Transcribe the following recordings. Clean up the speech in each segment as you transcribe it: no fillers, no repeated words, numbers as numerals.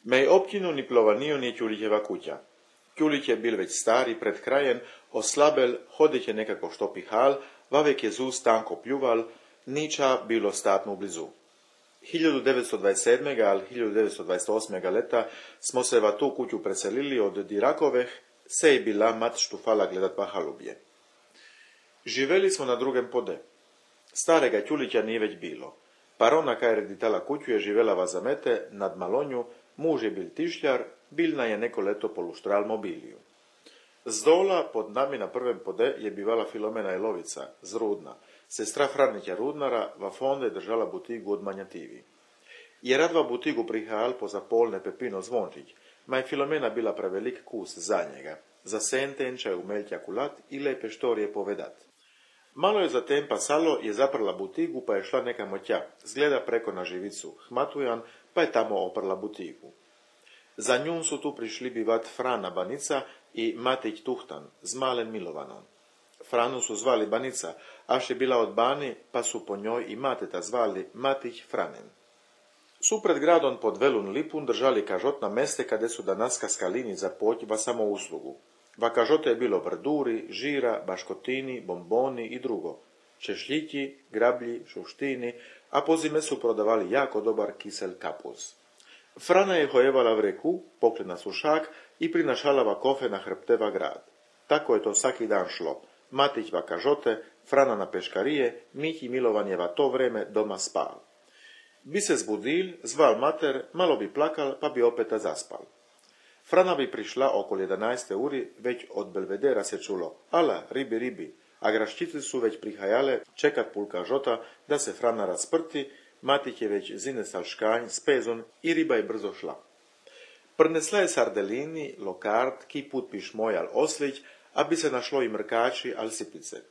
Mej obkinu ni plovanio ni Ćulićeva kuća. Ćulić je bil već stari, pred krajem, oslabel, hodit je nekako što pihal, vavek je zus tanko pljuval, niča bilo statno blizu. 1927. ali 1928. leta smo se va tu kuću preselili od Dirakoveh, se je bila mat štufala gledat pa halubje. Živeli smo na drugem pode. Starega Ćulića nije već bilo. Parona kaj reditala kuću je živela vazamete nad Malonju, muž je bil tišljar, bilna je neko leto poluštral mobiliju. Zdola pod nami na prvem pode je bivala Filomena Jelovica, zrudna, sestra Franića Rudnara, va fonde držala butigu od manjativi. Je radva butigu prihajal po zapolne Pepino Zvončić, ma je Filomena bila prevelik kus za njega, za sentenčaj umeljtja kulat i lepe štorije povedat. Malo je zatem pasalo, je zaprla butigu pa je šla nekamo tja, zgleda preko na živicu Hmatujan, pa je tamo oprla butigu. Za njun su tu prišli bivat Frana Banica i Matić Tuhtan z malen Milovanom. Franu su zvali Banica, aš je bila od Bani, pa su po njoj i mateta zvali Matić Franen. Su pred gradom pod Velun Lipun držali kažot na meste kade su danaska skalini za poć va samo uslugu. Va kažote je bilo vrduri, žira, baškotini, bomboni i drugo. Češljiki, grablji, šuštini, a po zime su prodavali jako dobar kisel kapuz. Frana je hojevala v reku, pokle na sušak i prinašalava kofe na hrbteva grad. Tako je to svaki dan šlo. Matić va kažote, Frana na peškarije, Mih i Milovan je va to vreme doma spal. Bi se zbudil, zval mater, malo bi plakal, pa bi opeta zaspal. Frana bi prišla okolo 11. uri, već od Belvedera se čulo, ala, ribi, ribi, a graščice su već prihajale čekat pul kažota da se Frana rasprti, Matić je već zinesal škanj s pezon i riba je brzo šla. Prnesla je sardelini, lokard, ki put pišmoj al oslić, a bi se našlo i mrkači al sipice.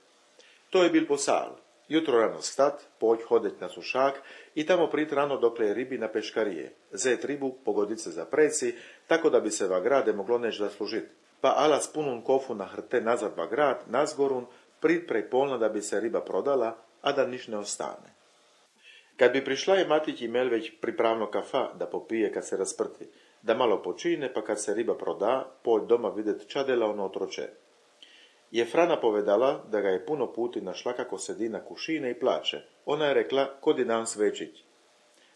To je bil posal. Jutro rano stat, poć hodet na sušak i tamo prit rano dokle je ribi na peškarije. Zet ribu, pogodit se za preci, tako da bi se va grade moglo neć da služit. Pa ala spunun kofu na hrte nazad va grad, nazgorun, prit prej polna da bi se riba prodala, a da niš ne ostane. Kad bi prišla je Matić imel već pripravno kafa da popije kad se rasprti, da malo počine pa kad se riba proda, poć doma videt čadela ono otroče. Je Frana povedala da ga je puno puti našla kako sedi na kušine i plače. Ona je rekla, kod je dan svečić.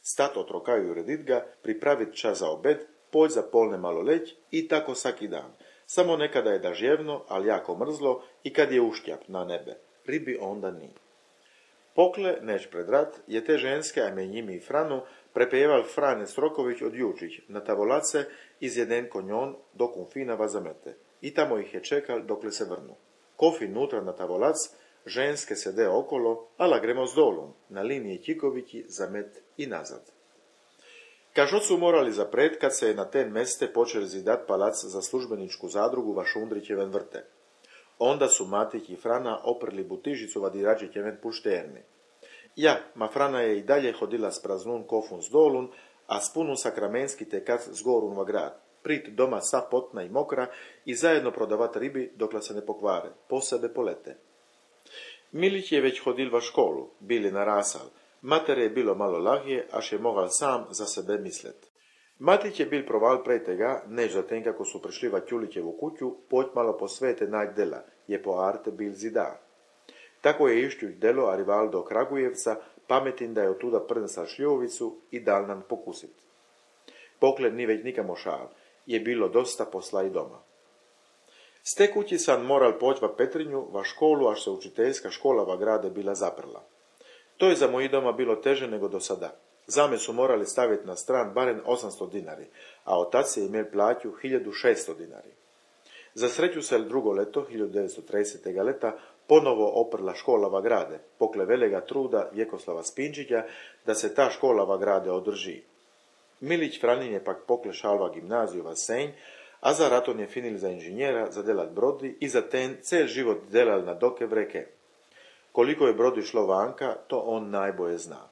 Stat otrokaju i uredit ga, pripravit čas za obed, poć za polne malo leć i tako svaki dan. Samo nekada je dažjevno, ali jako mrzlo i kad je uštjap na nebe. Ribi onda ni. Pokle, neć pred rat, je te ženske, a me njimi i Franu, prepejeval Frane Stroković od Jučić na tavolace iz jeden konjon do Kumfina vazamete. I tamo ih je čekal dokle se vrnu. Kofi nutra na tavolac, ženske sede okolo, ala gremo s dolom, na liniji Ćikovići, zamet i nazad. Kažot su morali zapret kad se je na ten meste počeli zidat palac za službeničku zadrugu va Šundrićeven vrte. Onda su Matić i Frana oprli butižicu va Diračićeven pušterni. Ja, ma Frana je i dalje hodila s praznun kofun s dolun, a s punun sakramenski tekat s gorun va grad. Prit doma sa potna i mokra i zajedno prodavat ribi dokle se ne pokvare, posebe polete. Milić je već hodil va školu, bili narasal. Mater je bilo malo lahje, až je mogal sam za sebe mislet. Matić je bil proval prej tega, než zatem kako su prišli va Ćulićevu kuću, poć malo po svete nađ dela, je po arte bil zidar. Tako je išćuć delo arival do Kragujevca, pametin da je otuda prnesal šljovicu i dal nam pokusit. Pokle ni već nikamo šal, je bilo dosta posla i doma. S te kući sam moral poć va Petrinju, va školu, až se učiteljska škola va grade bila zaprla. To je za moji doma bilo teže nego do sada. Zame su morali staviti na stran barem 800 dinari, a otac je imel plaću 1600 dinari. Za sreću se drugo leto, 1930. leta, ponovo oprla škola va grade, pokle velega truda Vjekoslava Spinčića da se ta škola va grade održi. Milić Franin je pak pokle šalva gimnaziju va Senj, a za raton je finil za inženjera, za delat brodi i za ten cel život delal na doke vreke. Koliko je brodi šlo vanka, to on najbolje zna.